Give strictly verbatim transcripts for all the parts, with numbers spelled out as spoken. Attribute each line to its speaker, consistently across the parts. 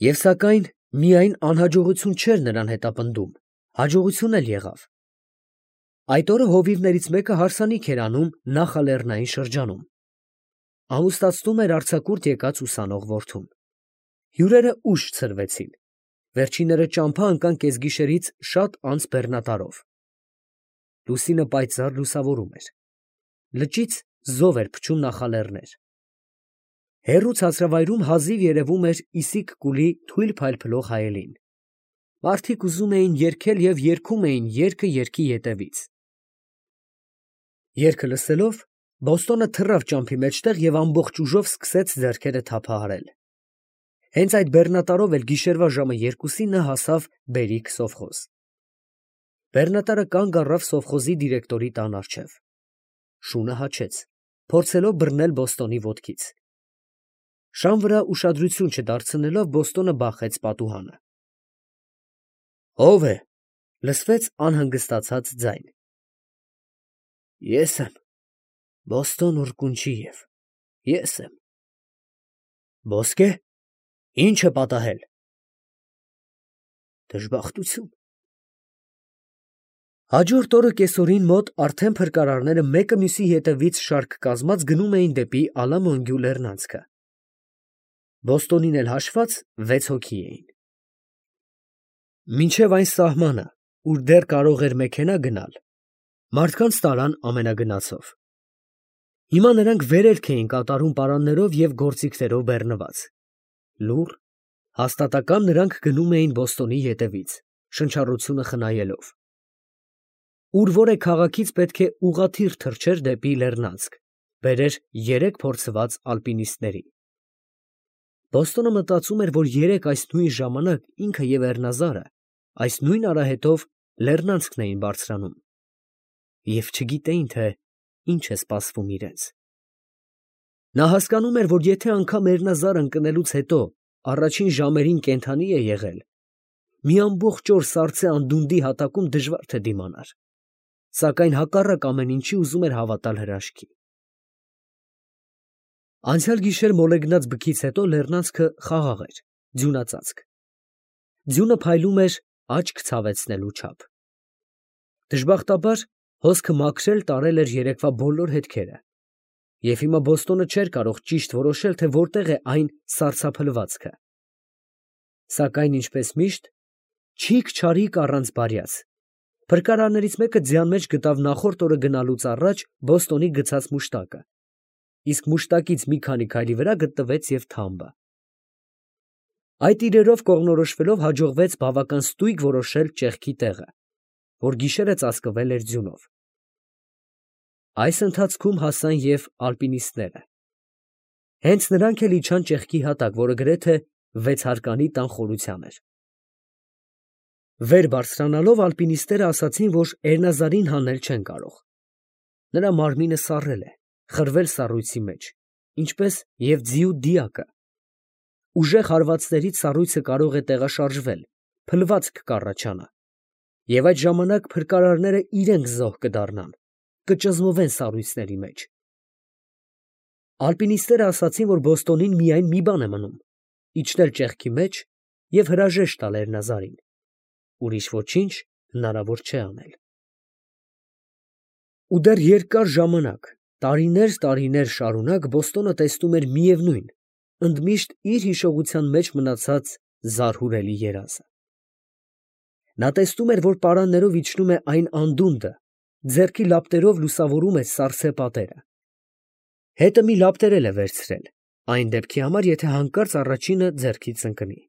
Speaker 1: Եվ սակայն միայն անհաջողություն չէր նրան հետապնդում, հաջողություն էլ եղավ. այդ օրը հովիվներից մեկը հարսանիք էր անում նախալեռնային շրջանում, ամուսնացնում էր արձակուրդ եկած ուսանող որդուն. հյուրերը ուշ ցրվեցին, վերջինները ճամփա ընկան կեսգիշերից շատ անց բեռնատարով. լուսինը պայծառ լուսավորում էր, լճից զով էր փչում նախալեռներ. հեռու ցածրավայրում հազիվ երևում էր Իսիկ կուլի թույլ փայլփլող հայելին. մարդիկ ուզում էին երգել և երգում էին երգը երգի ետևից. երգը լսելով, Բոստոնը թռավ ճամփի մեջտեղ և ամբողջ ուժով սկսեց ձեռքերը թափահարել. հենց այդ բեռնատարով էլ գիշերվա ժամը երկուսին նա հասավ Բերիք սովխոզ. Բեռնատարը կանգ առավ սովխոզի դիրեկտորի տան առջև. շունը հաչեց, փորձելով բռնել Բոստոնի ոտքից. շան վրա ուշադրություն չդարձնելով Բոստոնը բախեց պատուհանը. ո՞վ է, լսվեց անհանգստացած ձայն. ես եմ, Բոստոն Ուրկունչիև, ես եմ. ոսկե, ի՞նչ է պատահել. դժբախտություն. Հաջորդ օրը կեսօրին մոտ արդեն փրկարարները մեկը մյուսի ետևից շարք կազմած գնում էին դեպի Ալամոնգյու լեռնանցքը. Բոստոնին էլ հաշված վեց հոգի էին. Մինչև այն սահմանը, ուր դեռ կարող էր մեքենա գնալ, մարդկանց տարան ամենագնացով. հիմա նրանք վերելք էին կատարում պարաններով և գործիքներով բեռնված. լուռ, հաստատակամ նրանք գնում էին Բոստոնի ետևից, շնչառությունը խնայելով. ուր որ է քաղաքից պետք է ուղղաթիռ թռչեր դեպի լեռնանցք, բերեր երեք փորձված ալպինիստների. Բոստոնը մտածում էր, որ երեկ այս նույն ժամանակ ինքը և Էռնազարը այս նույն արահետով լեռնանցքն էին բարձրանում և չգիտեին, թե ինչ է սպասվում իրենց. նա հասկանում էր, որ եթե անգամ Էռնազարը ընկնելուց հետո առաջին ժամերին կենդանի է եղել, մի ամբողջ օր սառցե անդունդի հատակում դժվար թե դիմանար, սակայն հակառակ ամեն ինչի ուզում էր հավատալ հրաշքի. Անցյալ գիշեր մոլեգնած բքից հետո լեռնանցքը խաղաղ էր, ձյունածածկ. ձյունը փայլում էր աչք ցավեցնելու չափ. դժբախտաբար հոսքը մաքրել տարել էր երեկվա բոլոր հետքերը, և հիմա Բոստոնը չէր կարող ճիշտ որոշել, թե որտեղ է այն սառցափլվածքը. սակայն ինչպես միշտ, չիք-չարիք առանց բարյաց, փրկարարներից մեկը ձյան մեջ գտավ նախորդ օրը գնալուց առաջ Բոստոնի գցած մուշտակը, իսկ մուշտակից մի քանի քայլի վրա գտնվեց և թամբը. այդ իրերով կողմնորոշվելով հաջողվեց բավական ստույգ որոշել ճեղքի տեղը, որ գիշերը ծածկվել էր ձյունով. այս ընթացքում հասան և ալպինիստները. հենց նրանք էլ իջան ճեղքի հատակ, որը գրեթե վեցհարկանի տան խորության էր. վեր բարձրանալով ալպինիստները ասացին, որ Էռնազարին հանել չեն կարող. նրա մարմինը սառել է, խրվել սառույցի մեջ, ինչպես և ձիու դիակը. ուժեղ հարվածներից սառույցը կարող է տեղաշարժվել, փլվածք կառաջանա, և այդ ժամանակ փրկարարները իրենք զոհ կդառնան, կճզմվեն սառույցների մեջ. ալպինիստները ասացին, որ Բոստոնին միայն մի բան է մնում, իջնել ճեղքի մեջ և հրաժեշտ տալ Էռնազարին, ուրիշ ոչինչ հնարավոր չէ անել. Ու դեռ երկար ժամանակ, տարիներ տարիներ շարունակ Բոստոնը տեսնում էր միևնույն, ընդմիշտ իր հիշողության մեջ մնացած զարհուրելի երազը. նա տեսնում էր, որ պարաններով իջնում է այն անդունդը, ձեռքի լապտերով լուսավորում է սառցե պատերը. հետը մի լապտեր էլ է վերցրել, այն դեպքի համար, եթե հանկարծ առաջինը ձեռքից ընկնի.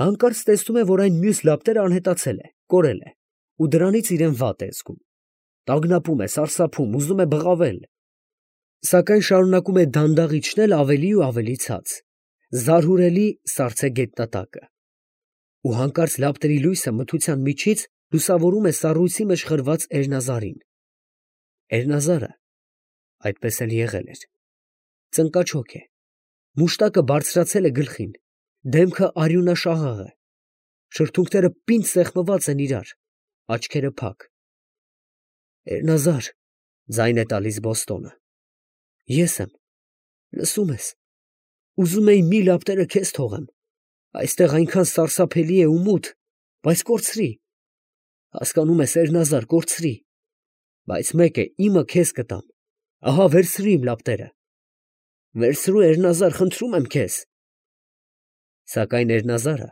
Speaker 1: հանկարծ տեսնում է, որ այն մյուս լապտերն անհետացել է, կորել է, ու դրանից իրան վատ է զգում, տագնապում է, սարսափում, ուզում է բղավել, սակայն շարունակում է դանդաղ իջնել ավելի ու ավելի ցած, զարհուրելի սառցե գետնատակը, ու հանկարծ լապտերի լույսը մթության միջից լուսավորում է սառույցի մեջ խրված Էռնազարին. Էռնազարը այդպես էլ եղել էր, ծնկաչոք է, մուշտակը բարձրացել է գլխին, դեմքը արյունաշաղախ է, շրթունքները պինդ սեղմված են իրար, աչքերը փակ. Էռնազար, ձայն է տալիս Բոստոնը, ես եմ, լսո՞ւմ ես, ուզում էի մի լապտերը քեզ թողեմ, Այստեղ այնքան սարսափելի է ու մութ, բայց կորցրի, հասկանում ես, Էրնազար, կորցրի, բայց մեկ է, իմը քեզ կտամ, ահա վերցրու իմ լապտերը, վերցրու, Էրնազար, խնդրում եմ քեզ։ Սակայն Էրնազարը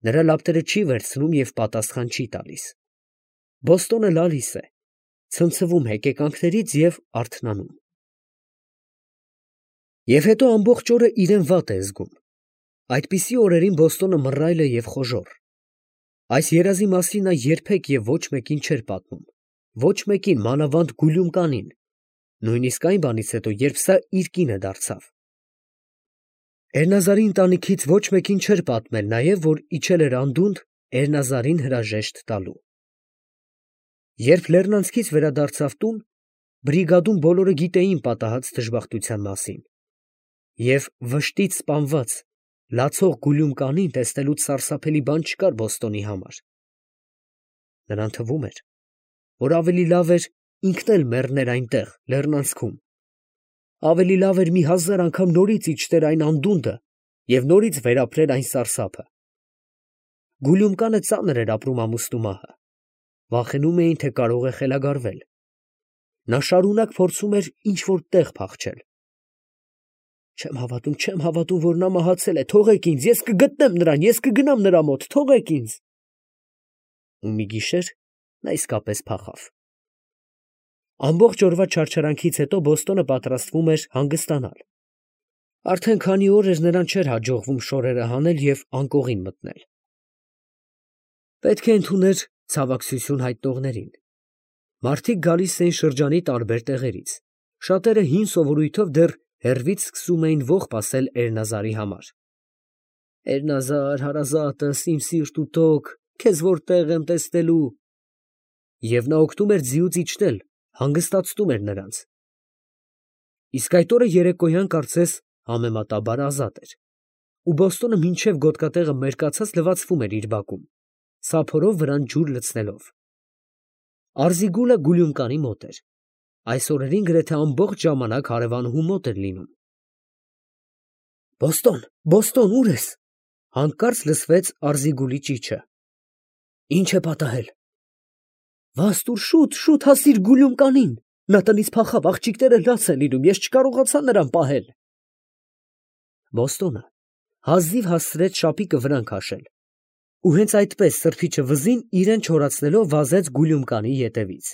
Speaker 1: նրա լապտերը չի վերցնում և պատասխան չի տալիս։ Բոստոնը լալիս է, ցնցվում հեկեկանքներից և արթնանում։ Եվ հետո ամբողջ օրը իրեն վատ է զգում։ Այդպիսի օրերին Բոստոնը մռայլ է և խոժոռ։ Այս երազի մասին նա երբեք և ոչ մեկին չէր պատմում, ոչ մեկին, մանավանդ Գուլյումկանին, նույնիսկ այն բանից հետո, երբ սա իր կինը դարձավ։ Էրնազարի ընտանիքից ոչ մեկին չէր պատմել նաև, որ իջել էր անդունդը Էրնազարին հրաժեշտ տալու։ Երբ Լեռնանցքից վերադարձավ տուն, բրիգադում բոլորը գիտեին պատահած դժբախտության մասին, և վշտից սպանված, լացող Գուլյումկանին տեսնելուց սարսափելի բան չկար Բոստոնի համար։ Նրան թվում էր, որ ավելի լավ էր ինքն էլ մեռներ այնտեղ, լեռնանցքում, ավելի լավ էր մի հազար անգամ նորից իջներ այն անդունդը և նորից վերապրեր այն սարսափը։ Գուլյումկանը ծանր էր ապրում ամուսնու մահը, վախենում էին, թե կարող է խելագարվել։ Նա շարունակ փորձում էր ինչ֊որ տեղ փախչել։ Չեմ հավատում, չեմ հավատում, որ նա մահացել է, թողեք ինձ, ես կգտնեմ նրան, ես կգնամ նրա մոտ, թողեք ինձ։ Ու մի գիշեր նա իսկապես փախավ։ Ամբողջ օրվա չարչարանքից հետո Բոստոնը պատրաստվում էր հանգստանալ։ Արդեն քանի օր էր նրան չէր հաջողվում շորերը հանել և անկողին մտնել։ Պետք է ընդուներ ցավակցություն հայտնողներին։ Մարդիկ գալիս էին շրջանի տարբեր տեղերից, շատերը հին սովորույթով դեռ հեռվից սկսում էին ողբ ասել Էրնազարի համար. «Էրնազար, հարազատս, իմ սիրտ ու տոկ, քեզ որտեղ եմ տեսնելու»։ Եվ նա օգնում էր ձիուց իջնել, հանգստացնում էր նրանց։ Իսկ այդ օրը երեկոյան կարծես համեմատաբար ազատ էր, ու Բոստոնը մինչև գոտկատեղը մերկացած լվացվում էր իր բակում, սափորով վրան ջուր լցնելով։ Արզիգուլը Գուլյումկանի մոտ էր։ Այս օրերին գրեթե ամբողջ ժամանակ հարևանուհու մոտ էր լինում։ Բոստոն, Բոստոն, ուր ես։ Հանկարծ լսվեց Արզիգուլի ճիչը։ Ինչ է պատահել։ Վա տուր, շուտ, շուտ հասիր Գուլյումկանին, նա տնից փախավ, աղջիկները լաց են լինում, ես չկարողացա նրան պահել։ Բոստոնը հազիվ հասցրեց շապիկը վրան քաշել, ու հենց այդպես սրբիչը վզին իրեն չորացնելով վազեց Գուլյումկանի ետևից։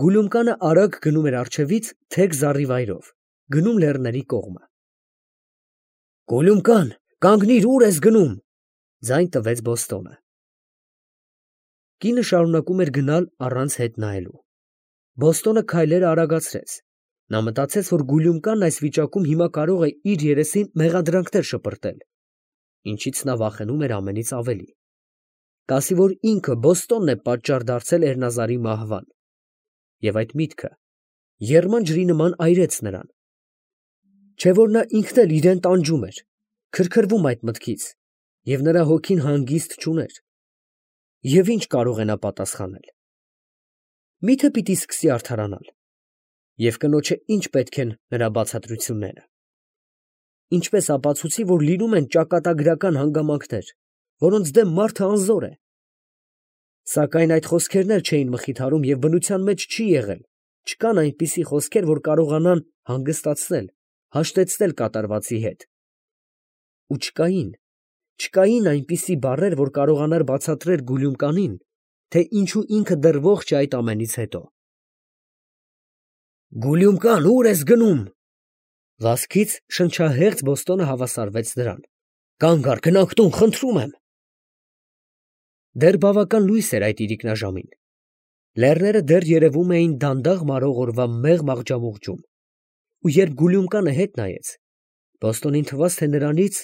Speaker 1: Գուլյումկանը արագ գնում էր առջևից թեք զառիվայրով, գնում լեռների կողմը։ Գուլյումկան, կանգնիր, ուր ես գնում, ձայն տվեց Բոստոնը։ Կինը շարունակում էր գնալ առանց հետ նայելու։ Բոստոնը քայլերը արագացրեց։ Նա մտածեց, որ Գուլյումկանն այս վիճակում հիմա կարող է իր երեսին մեղադրանքներ շպրտել, ինչից նա վախենում էր ամենից ավելի։ Կասի, որ ինքը Բոստոնն է պատճառ դարձել Էրնազարի մահվան։ Եվ այդ միտքը եռման ջրի նման այրեց նրան։ Չէ՞ որ նա ինքն էլ իրեն տանջում էր, քրքրվում այդ մտքից, և նրա հոգին հանգիստ չուներ։ Եվ ի՞նչ կարող է նա պատասխանել։ Մի՞թե պիտի սկսի արդարանալ։ Եվ կնոջը ի՞նչ պետք են նրա բացատրությունները։ Ինչպես ապացուցի, որ լինում են ճակատագրական հանգամանքներ, որոնց դեմ մարդը անզոր է։ Սակայն այդ խոսքերն էլ չէին մխիթարում և բնության մեջ չի եղել, չկան այնպիսի խոսքեր, որ կարողանան հանգստացնել, հաշտեցնել կատարվածի հետ։ Ու չկային, չկային այնպիսի բառեր, որ կարողանար բացատրել Գուլյումկանին, թե ինչու ինքը դեռ ողջ է այդ ամենից հետո։ Գուլյումկան, ուր ես գնում։ Վազքից շնչահեղձ Բոստոնը հավասարվեց նրան։ Կանգ առ, գնանք տուն, խնդրում եմ։ Դեռ բավական լույս էր այդ իրիկնաժամին։ Լեռները դեռ երևում էին դանդաղ մարող օրվա մեղմ աղջամուղջում, ու երբ Գուլյումկանը հետ նայեց, Բոստոնին թվաց, թե նրանից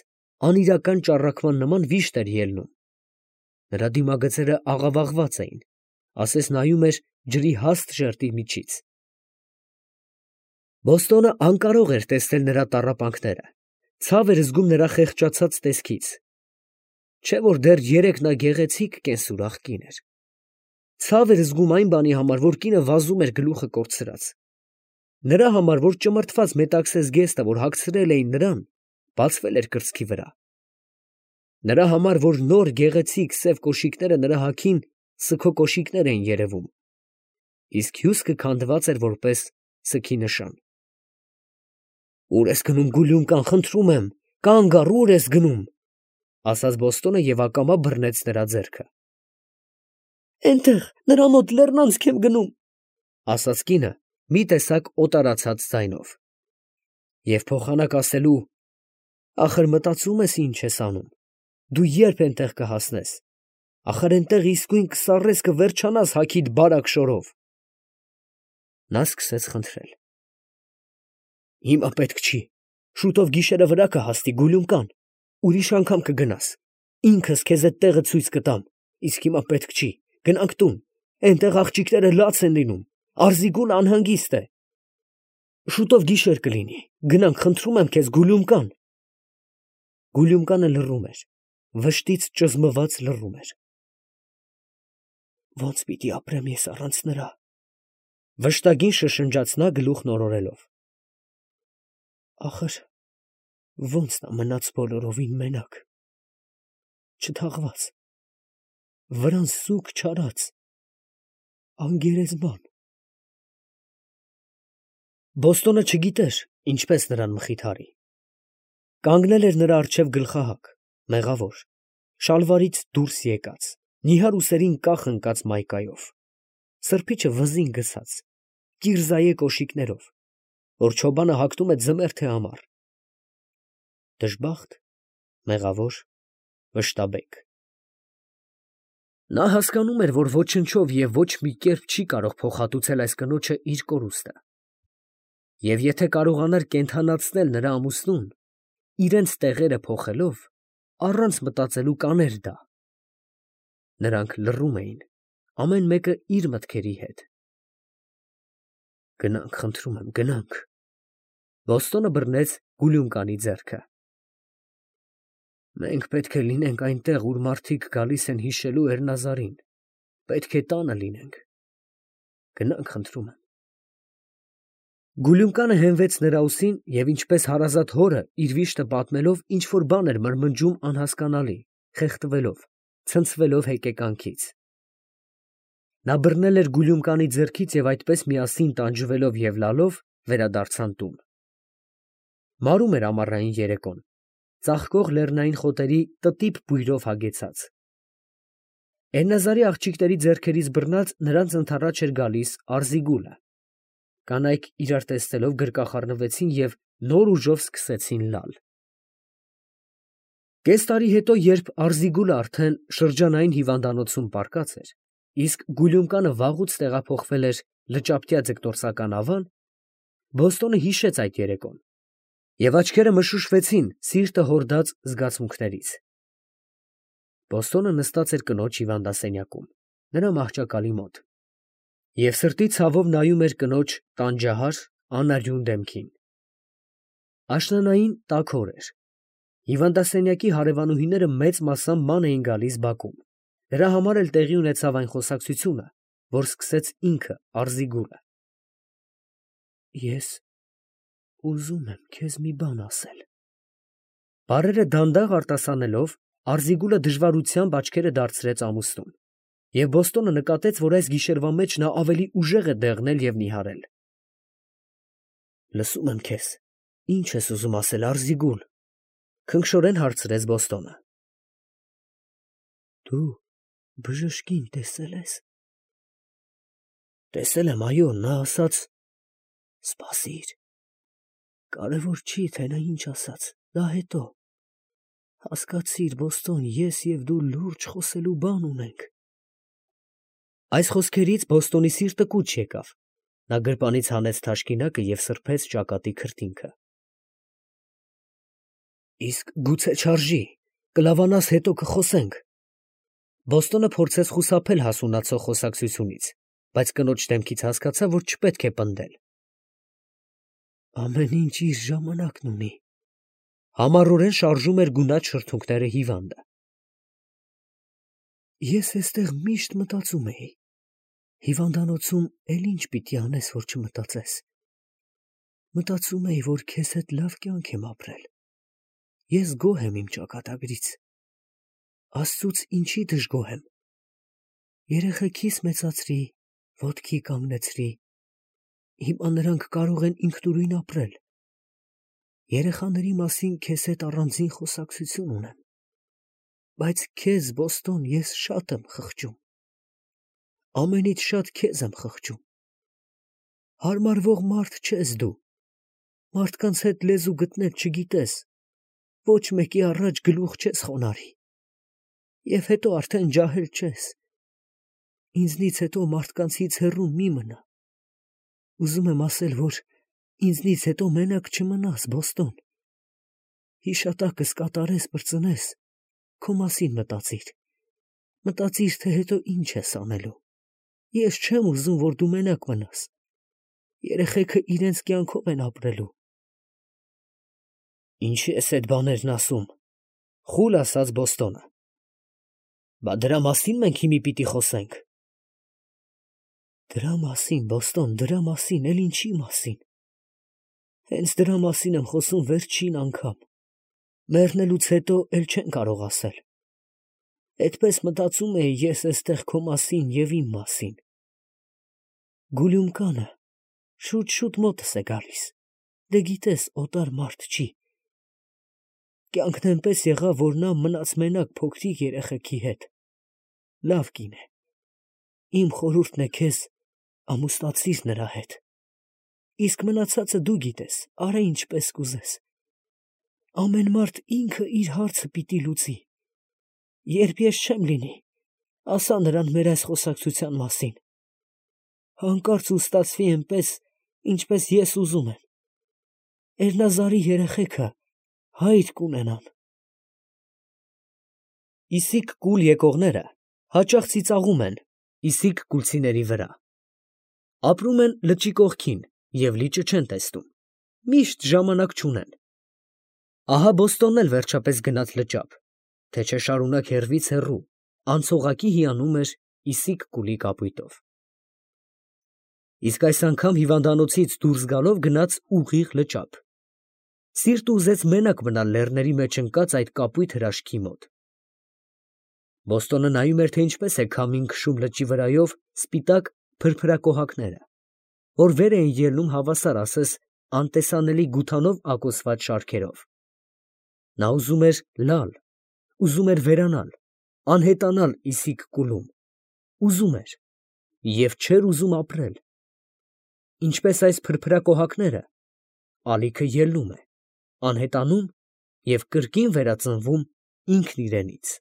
Speaker 1: անիրական ճառագման նման վիշտ էր ելնում։ Նրա դիմագծերը աղավաղված էին, ասես նայում էր ջրի հաստ շերտի միջից։ Բոստոնը անկարող էր տեսնել նրա տառապանքները, ցավ էր զգում նրա խեղճացած տեսքից։ Չէ՞ որ դեռ երեկ նա գեղեցիկ կենսուրախ կին էր։ Ցավ էր զգում այն բանի համար, որ կինը վազում էր գլուխը կորցրած։ Նրա համար, որ ճմրթված մետաքսե զգեստը, որ հագցրել էին նրան, բացվել էր կրծքի վրա։ Նրա համար, որ նոր գեղեցիկ սև կոշիկները նրա հագին սգո կոշիկներ էին երևում, իսկ հյուսկը քանդված էր որպես սգի նշան։ «Ո՞ւր ես գնում, Գուլյումկան, խնդրում եմ, կանգ առ, ո՞ւր ես գնում», ասաց Բոստոնը և ակամա բռնեց նրա ձեռքը։ «Էնտեղ, նրա մոտ լեռնանցք եմ գնում», ասաց կինը մի տեսակ օտարացած ձայնով։ Եվ փոխանակ ասելու, ախր մտածում ես ինչ ես անում, դու երբ էնտեղ կհասնես, ախր էնտեղ իսկույն կսառես, կվերջանաս հագիդ բարակ շորով։ Նա սկսեց խնդրել. «Հիմա պետք չի, շուտով գիշերը վրա կհասնի, Գուլյումկան, ուրիշ անգամ կգնաս, ինքս քեզ էդ տեղը ցույց կտամ, իսկ հիմա պետք չի, գնանք տուն, էնտեղ աղջիկները լաց են լինում, Արզիգուլը անհանգիստ է։ Շուտով գիշեր կլինի, գնանք, խնդրում եմ քեզ, Գուլյումկան»։ Գուլյումկանը լռում էր, վշտից ճզմված լռում էր։ «Ո՞նց պիտի ապրեմ ես առանց նրա», վշտագին շշնջաց նա գլուխն օրորելով։ «Ախր ո՞նց նա մնաց բոլորովին մենակ, չթաղված, վրան սուգ չարած, անգերեզման»։ Բոստոնը չգիտեր ինչպես նրան մխիթարի։ Կանգնել էր նրա առջև գլխահակ, մեղավոր, շալվարից դուրս եկած, նիհար ուսերին կախ ընկած մայկայով, սրբիչը վզին գցած, կիրզայե կոշիկներով, որ չոբանը հագնում է ձմեռ թե ամառ։ Դժբախտ, մեղավոր, վշտաբեկ։ Նա հասկանում էր, որ ոչնչով և ոչ մի կերպ չի կարող փոխհատուցել այս կնոջը իր կորուստը, և եթե կարողանար կենդանացնել նրա ամուսնուն, իրենց տեղերը փոխելով, առանց մտածելու կաներ դա։ Նրանք լռում էին, ամեն մեկը իր մտքերի հետ։ «Գնանք, խնդրում եմ, գնանք», Բոստոնը բռնեց Գուլյումկանի ձեռքը։ «Մենք պետք է լինենք այնտեղ, ուր մարդիկ գալիս են հիշելու Էրնազարին, պետք է տանը լինենք, գնանք, խնդրում եմ»։ Գուլյումկանը հենվեց նրա ուսին և ինչպես հարազատ հորը իր վիշտը պատմելով ինչ֊որ բան էր մրմնջում անհասկանալի, խեղդվելով, ցնցվելով հեկեկանքից։ Նա բռնել էր Գուլյումկանի ձեռքից և այդպես միասին տանջվելով և լալով վերադարձան տուն։ Մարում էր ամառային երեկոն, ծաղկող լեռնային խոտերի տտիպ բույրով հագեցած։ Էրնազարի աղջիկների ձեռքերից բռնած նրանց ընդառաջ էր գալիս Արզիգուլը։ Կանայք իրար տեսնելով գրկախառնվեցին և նոր ուժով սկսեցին լալ։ Կես տարի հետո, երբ Արզիգուլը արդեն շրջանային հիվանդանոցում պառկած էր, իսկ Գուլյումկանը վաղուց տեղափոխվել էր լճապտյա ձկնորսական ավան, Բոստոնը հիշեց այդ երեկոն, և աչքերը մշուշվեցին սիրտը հորդած զգացմունքներից։ Բոստոնը նստած էր կնոջ հիվանդասենյակում, նրա մահճակալի մոտ, և սրտի ցավով նայում էր կնոջ տանջահար անարյուն դեմքին։ Աշնանային տաք օր էր։ Հիվանդասենյակի հարևանուհիները մեծ մասամբ ման էին գալիս բակում, դրա համար էլ տեղի ունեցավ այն խոսակցությունը, որ սկսեց ինքը Արզիգուլը։ «Ես ուզում եմ քեզ մի բան ասել»։ Բառերը դանդաղ արտասանելով, Արզիգուլը դժվարությամբ աչքերը դարձրեց ամուսնուն, և Բոստոնը նկատեց, որ այս գիշերվա մեջ նա ավելի ուժեղ է դեղնել և նիհարել։ «Լսում եմ քեզ, ի՞նչ ես ուզում ասել, Արզիգուլ», քնքշորեն հարցրեց Բոստոնը։ «Դու բժշկին տեսե՞լ ես»։ «Տեսել եմ, այո, նա ասաց. սպասիր, կարևոր չի, թե նա ինչ ասաց, դա հետո, հասկացիր, Բոստոն, ես և դու լուրջ խոսելու բան ունենք»։ Այս խոսքերից Բոստոնի սիրտը կուչ եկավ, նա գրպանից հանեց թաշկինակը և սրբեց ճակատի քրտինքը։ «Իսկ գուցե չարժի, կլավանաս, հետո կխոսենք»։ Բոստոնը փորձեց խուսափել հասունացող խոսակցությունից, բայց կնոջ դեմքից հասկացավ, որ չպետք է պնդել։ «Ամեն ինչ իր ժամանակն ունի», համառորեն շարժում էր գունատ շրթունքները հիվանդը։ «Ես էստեղ միշտ մտածում էի, հիվանդանոցում էլ ինչ պիտի անես, որ չմտածես։ Մտածում էի, որ քեզ հետ լավ կյանք եմ ապրել, ես գոհ եմ իմ ճակատագրից, Աստծուց ինչի դժգոհ եմ։ Երեխեքիս մեծացրի, ոտքի կանգնեցրի։ Հիմա նրանք կարող են ինքնուրույն ապրել։ Երեխաների մասին քեզ հետ առանձին խոսակցություն ունեմ։ Բայց քեզ, Բոստոն, ես շատ եմ խղճում։ Ամենից շատ քեզ եմ խղճում։ Հարմարվող մարդ չես դու։ Մարդկանց հետ լեզու գտնել չգիտես։ Ոչ մեկի առաջ գլուխ չես խոնարհի։ Եվ հետո արդեն ջահել չես։ Ինձնից հետո մարդկանցից հեռու մի մնա։ Ուզում եմ ասել, որ ինձնից հետո մենակ չմնաս, Բոստոն։ Հիշատակս կատարես, բրծնես, քո մասին մտածիր։ Մտածիր, թե հետո ինչ ես անելու։ Ես չեմ ուզում, որ դու մենակ մնաս։ Երեխեքը իրենց կյանքով են ապրելու։ Ինչի ես այդ բաներն ասում, խուլ ասաց Բոստոնը։ Բա դրա մասին մենք հիմի պիտի խոսենք։ Դրա մասին, Բոստոն, դրա մասին, էլ ինչի մասին։ Հենց դրա մասին եմ խոսում վերջին անգամ։ Մեռնելուց հետո էլ չեն կարող ասել։ Այդպես մտածում էի ես էստեղ քո մասին և իմ մասին։ Գուլյումկանը շուտ-շուտ մոտս է գալիս։ Դե գիտես, օտար մարդ չի։ Կյանքն էնպես եղավ, որ նա մնաց մենակ փոքրիկ երեխեքի հետ։ Լավ կին է։ Իմ խորհուրդն է քեզ, ամուսնացիր նրա հետ։ Իսկ մնացածը դու գիտես, արա ինչպես կուզես։ Ամեն մարդ ինքը իր հարցը պիտի լուծի։ Երբ ես չեմ լինի, ասա նրան մեր այս խոսակցության մասին։ Հանկարծ ու ստացվի այնպես, ինչպես ես ուզում եմ։ Էրնազարի երեխեքը հայր կունենան։ Իսիկ կուլ եկողները հաճախ ծիծաղում են իսիկ կուլցիների վրա։ Ապրում են լճի կողքին և լիճը չեն տեսնում։ Միշտ ժամանակ չունեն։ Ահա Բոստոնն էլ վերջապես գնաց լճափ, թե չէ շարունակ հեռվից հեռու, անցողակի հիանում էր իսիկ կուլի կապույտով։ Իսկ այս անգամ հիվանդանոցից դուրս գալով գնաց ուղիղ լճափ։ Սիրտը ուզեց մենակ մնալ լեռների մեջ ընկած այդ կապույտ հրաշքի մոտ։ Բոստոնը նայում էր, թե ինչպես է քամին քշում լճի վրայով սպիտակ փրփրակոհակները, որ վեր էին ելնում հավասար ասես անտեսանելի գութանով ակոսված շարքերով։ Նա ուզում էր լալ, ուզում էր վերանալ, անհետանալ իսիկ կուլում, ուզում էր և չէր ուզում ապրել։ Ինչպես այս փրփրակոհակները, ալիքը ելնում է, անհետանում և կրկին վերածնվում ինքն իրենից։